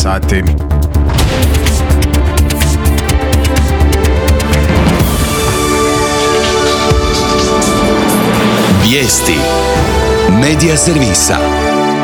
sati. Vijesti Medija servisa.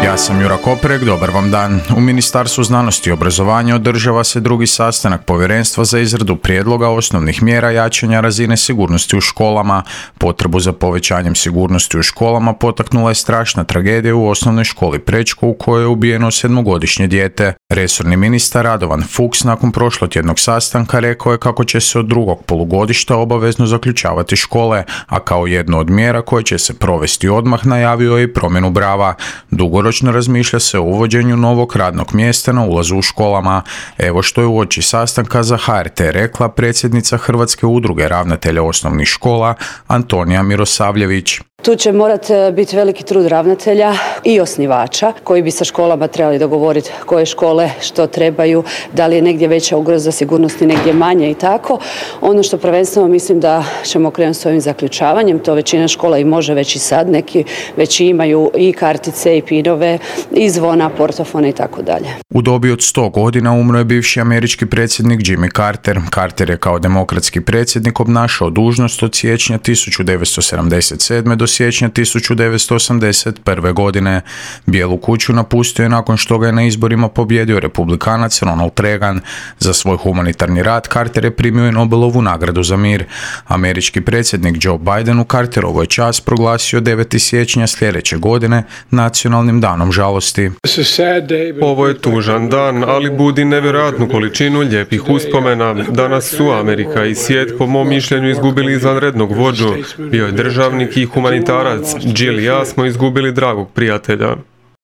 Ja sam Jura Koprek, dobar vam dan. U Ministarstvu znanosti i obrazovanja održava se drugi sastanak Povjerenstva za izradu prijedloga osnovnih mjera jačanja razine sigurnosti u školama. Potrebu za povećanjem sigurnosti u školama potaknula je strašna tragedija u osnovnoj školi Prečko u kojoj je ubijeno 7-godišnje dijete. Resorni ministar Radovan Fuchs nakon prošlotjednog sastanka rekao je kako će se od drugog polugodišta obavezno zaključavati škole, a kao jednu od mjera koje će se provesti odmah najavio je i promjenu brava. Dugoročno razmišlja se o uvođenju novog radnog mjesta na ulazu u školama. Evo što je uoči sastanka za HRT rekla predsjednica Hrvatske udruge ravnatelja osnovnih škola Antonija Mirosavljević. Tu će morati biti veliki trud ravnatelja i osnivača koji bi sa školama trebali dogovoriti koje škole što trebaju, da li je negdje veća ugroza sigurnosti, negdje manje i tako. Ono što prvenstveno mislim da ćemo krenuti s ovim zaključavanjem, to većina škola i može već i sad, neki već imaju i kartice i pinove, i zvona, portofone i tako dalje. U dobi od 100 godina umro je bivši američki predsjednik Jimmy Carter. Carter je kao demokratski predsjednik obnašao dužnost od siječnja 1977. do siječnja 1981. godine. Bijelu kuću napustio je nakon što ga je na izborima pobijedio republikanac Ronald Reagan. Za svoj humanitarni rad Carter je primio i Nobelovu nagradu za mir. Američki predsjednik Joe Biden u Carterovoj čast proglasio 9. siječnja sljedeće godine nacionalnim danom žalosti. Ovo je tužan dan, ali budi nevjerojatnu količinu lijepih uspomena. Danas su Amerika i svijet po mom mišljenju izgubili izvanrednog vođu. Bio je državnik i humanitarac. Jill i ja smo izgubili dragog prijatelja.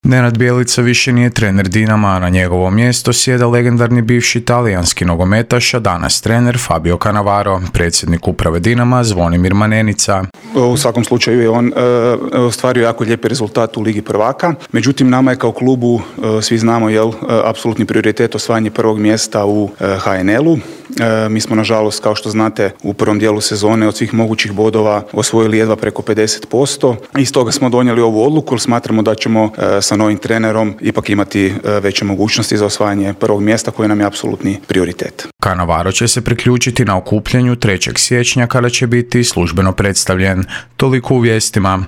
Nenad Bjelica više nije trener Dinama, a na njegovo mjesto sjeda legendarni bivši talijanski nogometaš, a danas trener Fabio Cannavaro, predsjednik uprave Dinama Zvonimir Manenica. U svakom slučaju je on ostvario jako lijepi rezultat u Ligi prvaka. Međutim, nama je kao klubu, svi znamo, apsolutni prioritet osvajanje prvog mjesta u HNL-u. Mi smo, nažalost, kao što znate, u prvom dijelu sezone od svih mogućih bodova osvojili jedva preko 50%. I stoga smo donijeli ovu odluku jer smatramo da ćemo sa novim trenerom ipak imati veće mogućnosti za osvajanje prvog mjesta koji nam je apsolutni prioritet. Cannavaro će se priključiti na okupljanju 3. siječnja kada će biti službeno predstavljen. Toliko u vijestima.